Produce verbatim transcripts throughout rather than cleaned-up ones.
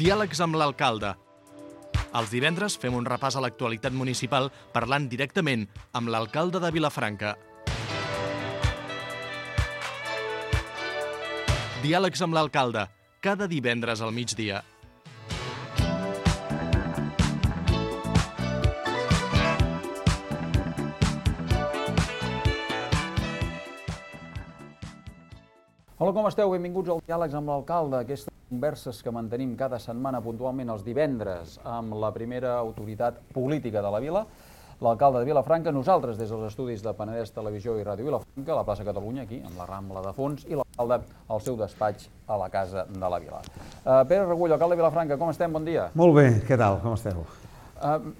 Diàlegs amb l'alcalde. Els divendres fem un repàs a l'actualitat municipal parlant directament amb l'alcalde de Vilafranca. Diàlegs amb l'alcalde, cada divendres al migdia. Hola, com esteu? Benvinguts al Diàlegs amb l'alcalde, aquestes converses que mantenim cada setmana puntualment els divendres amb la primera autoritat política de la vila, l'alcalde de Vilafranca, nosaltres des dels estudis de Penedès Televisió i Ràdio Vilafranca, a la plaça Catalunya, aquí, amb la Rambla de fons, i l'alcalde al seu despatx a la Casa de la Vila. Uh, Pere Regull, alcalde de Vilafranca, com estem? Bon dia. Molt bé, què tal? Com esteu? Uh,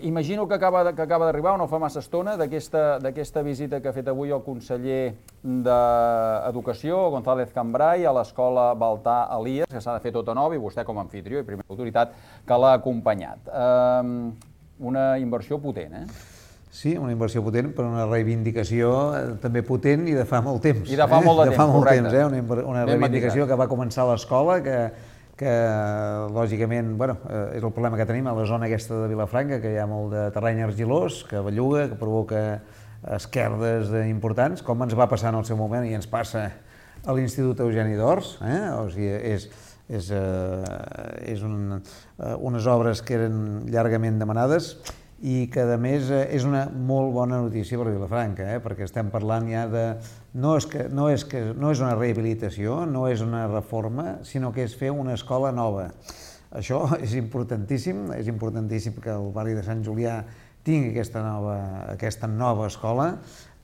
imagino que acaba, que acaba d'arribar, no fa massa estona, d'aquesta visita que ha fet avui el conseller d'Educació, González Cambray, a l'escola Baltar Elies, que s'ha de fer tota nova, i vostè com a anfitrió i primera autoritat que l'ha acompanyat. Uh, una inversió potent, eh? Sí, una inversió potent, però una reivindicació també potent i de fa molt temps. I de fa molt de temps, de fa molt correcte. Temps, eh? Una, una reivindicació que va començar a l'escola, que que lògicament bueno, és el problema que tenim a la zona aquesta de Vilafranca, que hi ha molt de terreny argilós, que belluga, que provoca esquerdes importants, com ens va passar en el seu moment i ens passa a l'Institut Eugeni d'Ors. Eh? O sigui, és, és, eh, és un, unes obres que eren llargament demanades i que, a més, és una molt bona notícia per Vilafranca, eh? Perquè estem parlant ja de... No és, que, no, és que, no és una rehabilitació, no és una reforma, sinó que és fer una escola nova. Això és importantíssim, és importantíssim que el barri de Sant Julià tingui aquesta nova, aquesta nova escola,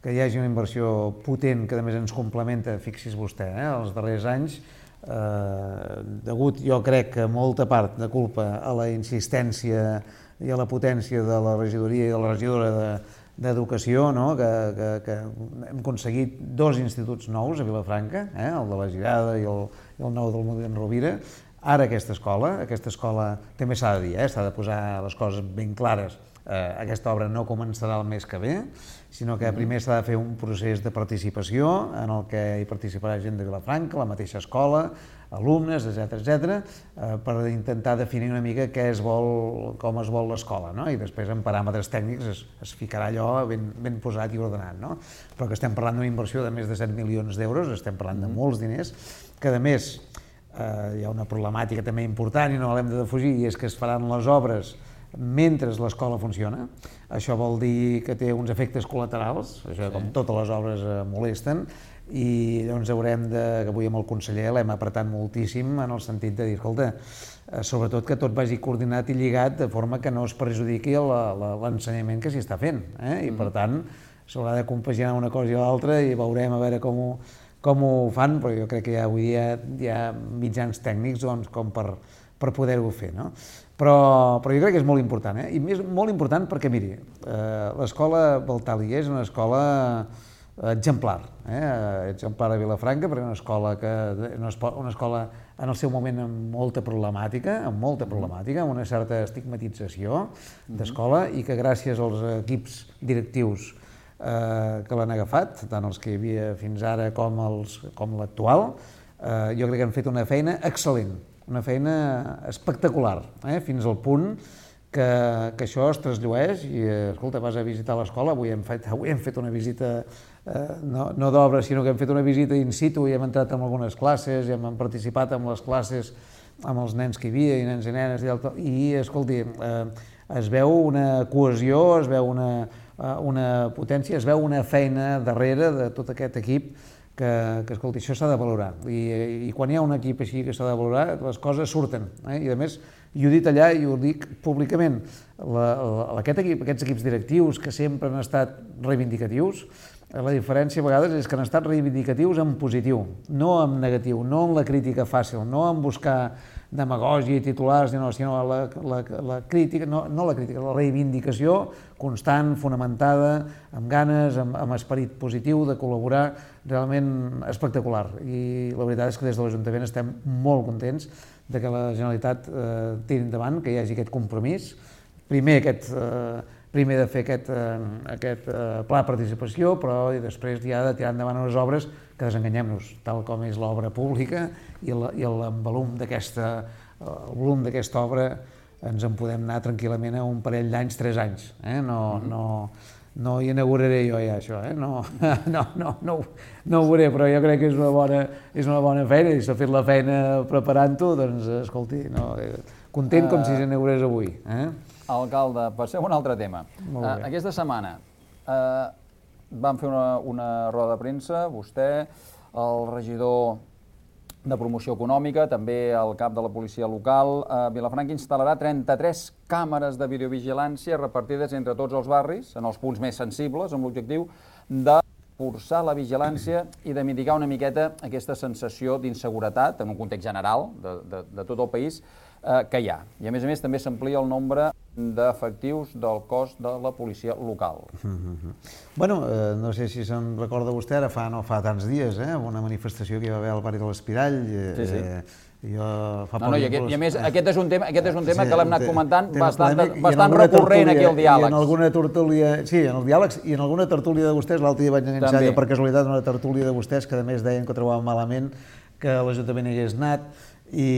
que hi hagi una inversió potent que, a més, ens complementa, fixi's vostè, eh? Els darrers anys, eh, degut, jo crec, que molta part de culpa a la insistència i a la potència de la regidoria i de la regidora de d'Educació, no? que, que, que hem aconseguit dos instituts nous a Vilafranca, eh? El de la Girada i el, i el nou del Molí d'en Rovira. Ara aquesta escola, aquesta escola també s'ha de dir, eh? S'ha de posar les coses ben clares. Eh, aquesta obra no començarà el mes que ve, sinó que primer s'ha de fer un procés de participació en el que hi participarà gent de Vilafranca, la mateixa escola, alumnes, etcètera, etcètera, eh, per intentar definir una mica què es vol, com es vol l'escola, no? I després en paràmetres tècnics es, es ficarà allò ben, ben posat i ordenat, no? Però que estem parlant d'una inversió de més de set milions d'euros, estem parlant de molts diners, que a més eh, hi ha una problemàtica també important i no l'hem de defugir, i és que es faran les obres mentre l'escola funciona. Això vol dir que té uns efectes col·laterals, això com totes les obres eh, molesten, i llavors haurem de, que avui amb el conseller l'hem apretat moltíssim en el sentit de dir, escolta, eh, sobretot que tot vagi coordinat i lligat de forma que no es perjudiqui l'ensenyament que s'hi està fent, eh? I per tant s'haurà de compaginar una cosa i l'altra i veurem a veure com ho, com ho fan, però jo crec que ja avui dia hi ha mitjans tècnics doncs, com per, per poder-ho fer, no? Però, però jo crec que és molt important, eh? I més molt important perquè, miri, eh, l'escola Baltar Elies és una escola exemplar, eh? exemplar a Vilafranca, perquè és una escola, que, una escola en el seu moment amb molta problemàtica, amb molta problemàtica, amb una certa estigmatització d'escola, i que gràcies als equips directius eh, que l'han agafat, tant els que hi havia fins ara com, els, com l'actual, eh, jo crec que han fet una feina excel·lent, una feina espectacular, eh? Fins al punt que, que això es trasllueix i, escolta, vas a visitar l'escola, avui hem fet, avui hem fet una visita, eh, no, no d'obra, sinó que hem fet una visita in situ i hem entrat en algunes classes i hem participat en les classes amb els nens que hi havia i nens i nenes i, altre, i escolti, eh, es veu una cohesió, es veu una, una potència, es veu una feina darrere de tot aquest equip que, que escolti, això s'ha de valorar. I, i quan hi ha un equip així que s'ha de valorar, les coses surten. Eh? I a més, i ho he dit allà i ho dic públicament, la, la, aquest equip, aquests equips directius que sempre han estat reivindicatius, la diferència a vegades és que han estat reivindicatius en positiu, no en negatiu, no en la crítica fàcil, no en buscar demagògia i titulars, sinó la, la, la crítica, no, no la crítica, la reivindicació constant, fonamentada, amb ganes, amb, amb esperit positiu de col·laborar, realment espectacular. I la veritat és que des de l'Ajuntament estem molt contents de que la Generalitat eh, tiri endavant, que hi hagi aquest compromís. Primer, aquest, eh, primer de fer aquest, eh, aquest eh, pla de participació, però i després ja de tirar endavant unes obres que, desenganyem-nos, tal com és l'obra pública i l'envolum d'aquesta el volum d'aquesta obra ens en podem anar tranquil·lament a un parell d'anys, tres anys. Eh? No, no, no hi inauguraré jo ja això, eh? no, no, no, no, no ho veuré, però jo crec que és una bona, és una bona feina, i s'ha fet la feina preparant-ho, doncs escolti, no, content com si s'inaugurés avui. Eh? Alcalde, passem a un altre tema. Uh, aquesta setmana uh, vam fer una, una roda de premsa, vostè, el regidor de promoció econòmica, també el cap de la policia local. Uh, Vilafranca instal·larà trenta-tres càmeres de videovigilància repartides entre tots els barris, en els punts més sensibles, amb l'objectiu de forçar la vigilància i de mitigar una miqueta aquesta sensació d'inseguretat en un context general de, de, de tot el país eh, que hi ha. I a més a més també s'amplia el nombre d'efectius del cos de la policia local. Mm-hmm. Bueno, eh, no sé si se'n recorda vostè, ara fa no fa tants dies, eh, una manifestació que hi va haver al barri de l'Espirall. Eh, sí, sí. Eh, Jo fa no, no, i, aquest, i a més, aquest és un tema, aquest és un tema sí, que l'hem anat comentant tema bastant, polèmic, bastant recurrent aquí al diàleg. I en alguna tertúlia, sí, en el diàleg i en alguna tertúlia de vostès, l'altre dia vaig enganxar jo per casualitat una tertúlia de vostès que a més deien que ho trobaven malament que l'Ajuntament hi hagués anat i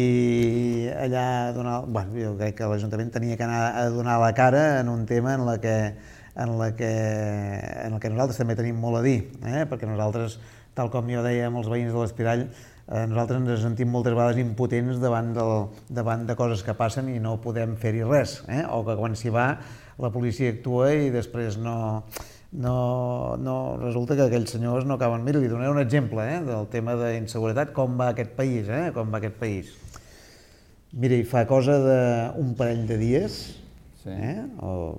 allà donar, bueno, jo crec que l'Ajuntament tenia que anar a donar la cara en un tema en la que en la que en el que nosaltres també tenim molt a dir, eh? Perquè nosaltres, tal com jo deia amb els veïns de l'Espirall, Eh, nosaltres ens sentim moltes vegades impotents davant, del, davant de coses que passen i no podem fer-hi res, eh? O que quan s'hi va la policia actua i després no, no, no resulta que aquells senyors no acaben. Mira, li donaré un exemple eh, del tema d'inseguretat, com va aquest país, eh? Com va aquest país. Mira, hi fa cosa d'un parell de dies, sí. eh? o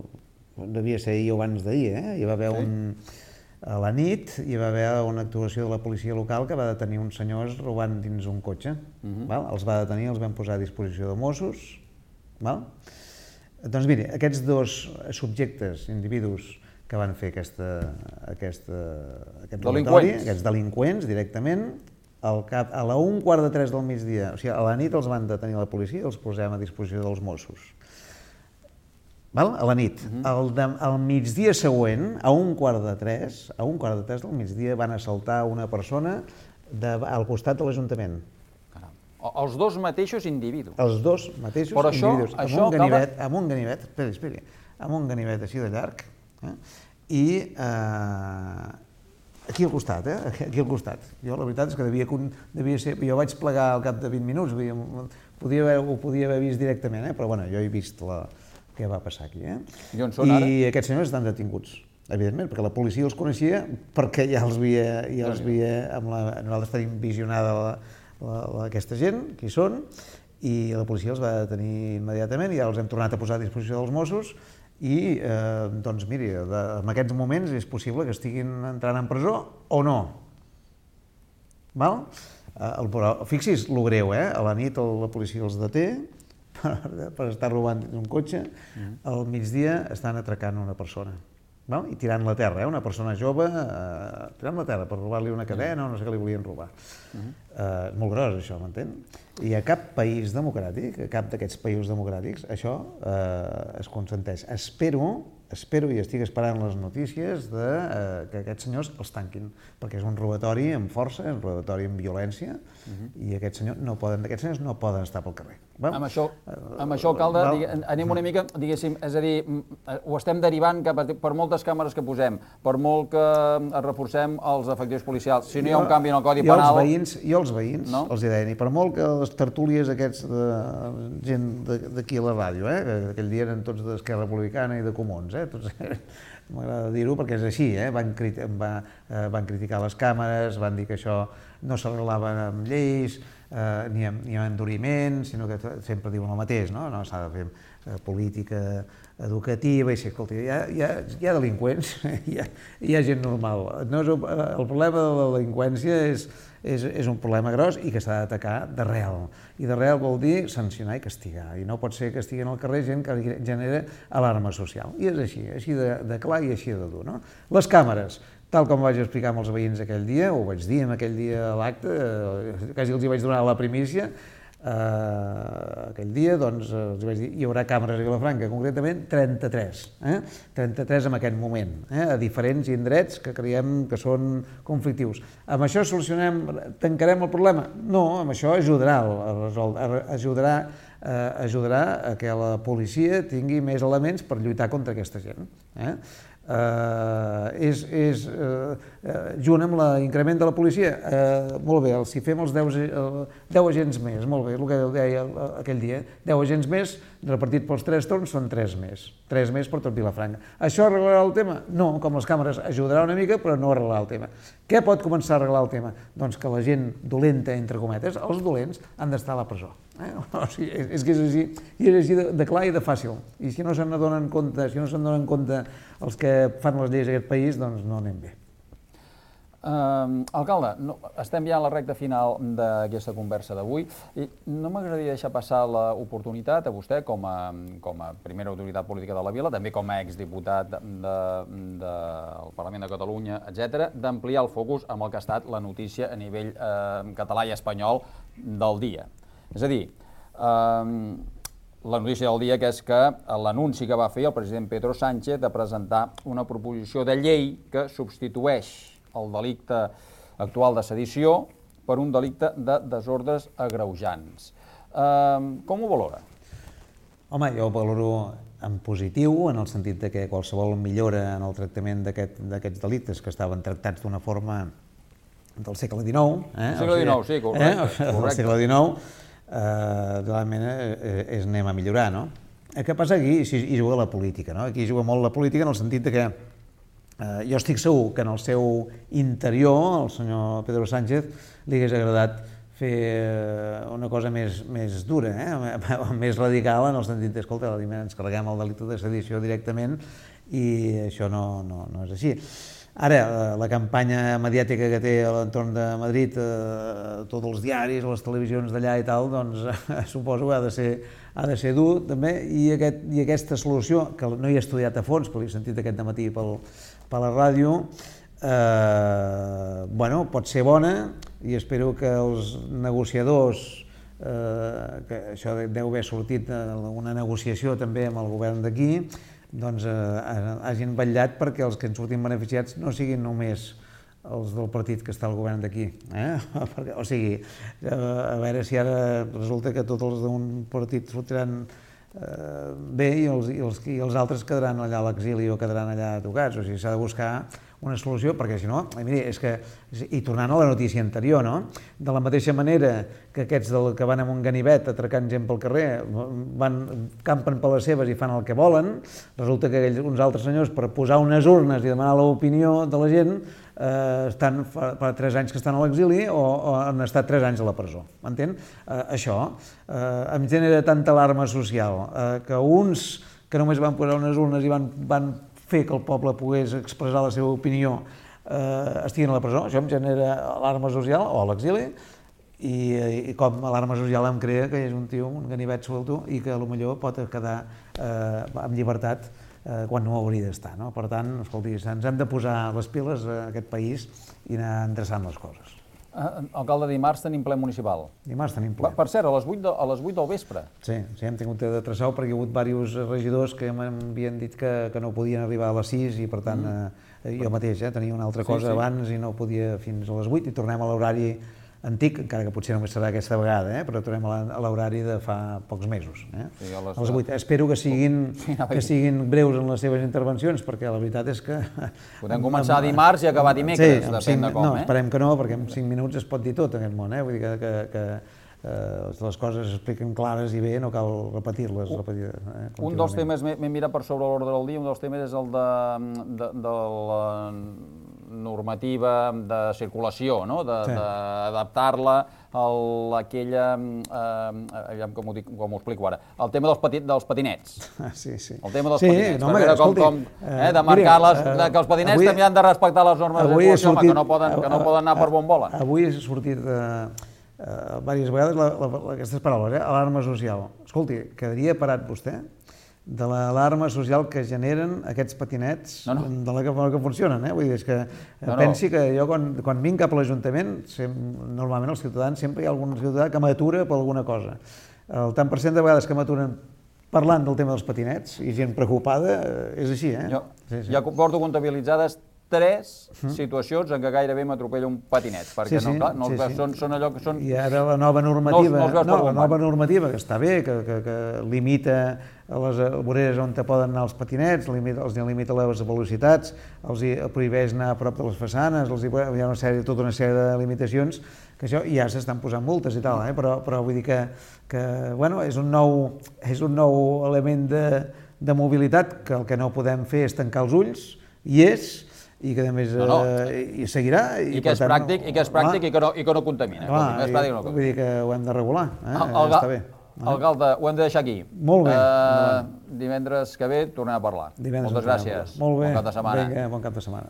devia ser ahir o abans d'ahir, eh? Hi va haver sí. un... A la nit hi va haver una actuació de la policia local que va detenir uns senyors robant dins un cotxe. Uh-huh. val? Els va detenir, els van posar a disposició de Mossos. Val? Doncs mire, aquests dos subjectes, individus que van fer aquesta, aquesta, aquest robatori, aquests delinqüents directament, al cap, a la un quart de tres del migdia, o sigui, a la nit els van detenir la policia i els posem a disposició dels Mossos. Val? A la nit. Uh-huh. el de, al migdia següent, a un quart de tres, a un quart de tres del migdia van assaltar una persona de, al costat de l'Ajuntament. Els dos mateixos individus. Els dos mateixos Però això, individus. Amb això un ganivet, acaba... amb un ganivet, esperi, esperi, amb un ganivet així de llarg, eh? I eh, aquí al costat, eh? Aquí al costat. Jo la veritat és que devia, devia ser... Jo vaig plegar al cap de vint minuts, podia haver, ho podia haver vist directament, eh? Però bueno, jo he vist la... què va passar aquí. Eh? I on són ara? I aquests senyors estan detinguts, evidentment, perquè la policia els coneixia, perquè ja els havia... Ja els havia amb la, nosaltres tenim visionada la, la, la, aquesta gent, qui són, i la policia els va detenir immediatament i ja els hem tornat a posar a disposició dels Mossos i, eh, doncs, miri, de, en aquests moments és possible que estiguin entrant en presó o no. Val? Eh, el, fixis, lo greu, eh? A la nit la policia els deté, per estar robant un cotxe, al migdia estan atracant una persona, val? I tirant-la a terra, eh? Una persona jove, eh, tirant-la a terra per robar-li una cadena o no sé què li volien robar. Uh-huh. eh, és molt gros això, m'entén? I a cap país democràtic, a cap d'aquests països democràtics, això eh, es consenteix. Espero, espero i estic esperant les notícies de eh, que aquests senyors els tanquin, perquè és un robatori amb força, és un robatori amb violència, uh-huh. i aquests senyors no poden, aquests senyors no poden estar pel carrer. Val? Amb això, amb això alcalde, Val? Digue, anem una mica, diguéssim, és a dir, ho estem derivant cap a, per moltes càmeres que posem, per molt que reforcem els efectius policials, si no hi ha un canvi en el Codi Penal... Jo els veïns, jo els veïns no? els hi deien, i per molt que les tertúlies aquests de gent d'aquí a la ràdio, eh, que aquell dia eren tots d'Esquerra Republicana i de Comuns, eh, tots... M'agrada dir-ho perquè és així, eh? van, criti va, eh, van criticar les càmeres, van dir que això no s'arreglava amb lleis, eh, ni, amb, ni amb enduriment, sinó que sempre diuen el mateix, no? No s'ha de fer eh, política educativa, i si, escolta, hi ha, hi ha, hi ha delinqüents, hi ha, hi ha gent normal. No és, el problema de la delinqüència és, és, és un problema gros i que s'ha d'atacar d'arrel. I d'arrel vol dir sancionar i castigar. I no pot ser que estigui al carrer gent que genera alarma social. I és així, així de, de clar i així de dur. No? Les càmeres, tal com vaig explicar amb els veïns aquell dia, ho vaig dir en aquell dia a l'acte, quasi els hi vaig donar la primícia, Uh, aquell dia, doncs, els vaig dir, hi haurà càmeres a Vilafranca, concretament trenta-tres, eh? trenta-tres en aquest moment, eh? a diferents indrets que creiem que són conflictius. Amb això solucionem, tancarem el problema? No, amb això ajudarà a resoldre, ajudarà ajudarà a que la policia tingui més elements per lluitar contra aquesta gent. És junt amb l'increment de la policia, molt bé, si fem els deu agents més, molt bé, el que deia aquell dia, deu agents més repartit pels tres torns són tres més, tres més per tot Vilafranca. Això arreglarà el tema? No, com les càmeres ajudarà una mica, però no arreglarà el tema. Què pot començar a arreglar el tema? Doncs que la gent dolenta, entre cometes, els dolents, han d'estar a la presó. O sigui, és que és així, i és així de clar i de fàcil. I si no se'n donen compte, si no se'n donen compte els que fan les lleis d'aquest país, doncs no anem bé. Uh, alcalde, no, estem ja a la recta final d'aquesta conversa d'avui i no m'agradaria deixar passar l'oportunitat a vostè com a, com a primera autoritat política de la vila, també com a exdiputat de, de, del Parlament de Catalunya, etcètera, d'ampliar el focus amb el que ha estat la notícia a nivell eh, català i espanyol del dia. És a dir, eh, la notícia del dia que és que l'anunci que va fer el president Pedro Sánchez de presentar una proposició de llei que substitueix el delicte actual de sedició per un delicte de desordres agreujants. Eh, com ho valora? Home, jo ho valoro en positiu, en el sentit de que qualsevol millora en el tractament d'aquests delictes que estaven tractats d'una forma del segle dinou... Eh? segle dinou, sí, correcte. Eh? Del segle dinou, eh, realment eh, és anem a millorar, no? El que passa aquí, hi juga la política, no? Aquí juga molt la política en el sentit de que Uh, jo estic segur que en el seu interior, el senyor Pedro Sánchez, li hagués agradat fer uh, una cosa més, més dura, eh? més radical, en el sentit d'escolta, ens carreguem el delicte de sedició directament i això no, no, no és així. Ara, la campanya mediàtica que té a l'entorn de Madrid, eh, tots els diaris, les televisions d'allà i tal, doncs suposo que ha de ser, ha de ser dur també, i, aquest, i aquesta solució, que no hi he estudiat a fons, però l'he sentit aquest dematí pel, per la ràdio, eh, bueno, pot ser bona i espero que els negociadors, eh, que això deu haver sortit una negociació també amb el govern d'aquí, doncs eh, hagin vetllat perquè els que en surtin beneficiats no siguin només els del partit que està al govern d'aquí. Eh? O sigui, eh, a veure si ara resulta que tots els d'un partit sortiran eh, bé i els, i, els, i els altres quedaran allà a l'exili o quedaran allà tocats. O sigui, s'ha de buscar una solució, perquè si no, miri, és que, i tornant a la notícia anterior, no? De la mateixa manera que aquests del, que van amb un ganivet atracant gent pel carrer, van, campen per les seves i fan el que volen, resulta que aquells, uns altres senyors, per posar unes urnes i demanar l'opinió de la gent, eh, estan fa, fa tres anys que estan a l'exili o, o han estat tres anys a la presó, m'entén? Eh, això eh, em genera tanta alarma social, eh, que uns que només van posar unes urnes i van, van fer que el poble pogués expressar la seva opinió, eh, estiguin a la presó, això em genera alarma social o a l'exili, i, i com alarma social em crea que és un tio, un ganivet suelto, i que potser pot quedar eh, amb llibertat eh, quan no hauria d'estar. No? Per tant, escolti, ens hem de posar les piles a aquest país i anar endreçant les coses. Uh, alcalde, dimarts tenim ple municipal. Dimarts tenim ple. Per cert, a les vuit, de, a les vuit del vespre. Sí, sí, hem tingut de traçar perquè hi ha hagut diversos regidors que m'havien dit que, que no podien arribar a les sis i per tant mm. eh, jo mateix eh, tenia una altra cosa sí, sí. abans i no podia fins a les vuit i tornem a l'horari antic, encara que potser només serà aquesta vegada, eh, però tornem a l'horari de fa pocs mesos. Eh? Sí, a les... a les vuit. Espero que siguin, sí, que siguin breus en les seves intervencions, perquè la veritat és que... Podem començar dimarts i acabar dimecres, sí, depèn cinc, de com. No, eh? esperem que no, perquè en cinc minuts es pot dir tot en aquest món. Eh? Vull dir que, que, que eh, les coses s'expliquen clares i bé, no cal repetir-les. Repetir, eh, un dels temes, m'he mirat per sobre l'ordre del dia, un dels temes és el de, de, de la normativa de circulació, no? d'adaptar-la sí. a aquella, eh, com, ho dic, com ho explico ara, el tema dels, pati, dels patinets. Sí, sí. El tema dels sí, patinets, no, per veure com, com eh, de marcar les, de, que els patinets avui, també han de respectar les normes de circulació, sortit, home, que, no poden, que no poden anar per bon vola. Avui ha sortit eh, eh, diverses vegades la, la, aquestes paraules, eh, alarma social. Escolti, quedaria parat vostè de l'alarma social que generen aquests patinets no, no. de la que, que funcionen. Eh? Vull dir, és que no, pensi no. que jo quan, quan vinc cap a l'Ajuntament, normalment els ciutadans, sempre hi ha algun ciutadà que m'atura per alguna cosa. El tant per cent de vegades que m'aturen parlant del tema dels patinets i gent preocupada, és així, eh? Jo sí, sí. ja porto comptabilitzades tres situacions en què gairebé m'atropella un patinet, perquè Sí, sí, no, clar, no sí, els veus, sí. són, són allò que són... I ara la nova No normativa, els- no els veus per no, la bon nova banc. normativa, que està bé, que, que, que limita a les voreres on te poden anar els patinets, limita, els limita les velocitats, els hi prohibeix anar a prop de les façanes, els hi, hi ha una sèrie, tota una sèrie de limitacions, que això ja s'estan posant multes i tal, eh? però, però vull dir que, que bueno, és, un nou, és un nou element de, de mobilitat que el que no podem fer és tancar els ulls, i és, i que a més No, no. eh, i seguirà. I que és pràctic, i que és pràctic i que no, i que no contamina. Clar, Escolti, és pràctic i no vull contamina. dir que ho hem de regular, eh? El, el, està bé. Alcalde, ho hem de deixar aquí. Molt bé, Eh, endavant. divendres que ve tornem a parlar. Divendres Moltes en parlem. gràcies. Molt bé, Bon cap de setmana. vinga, bon cap de setmana.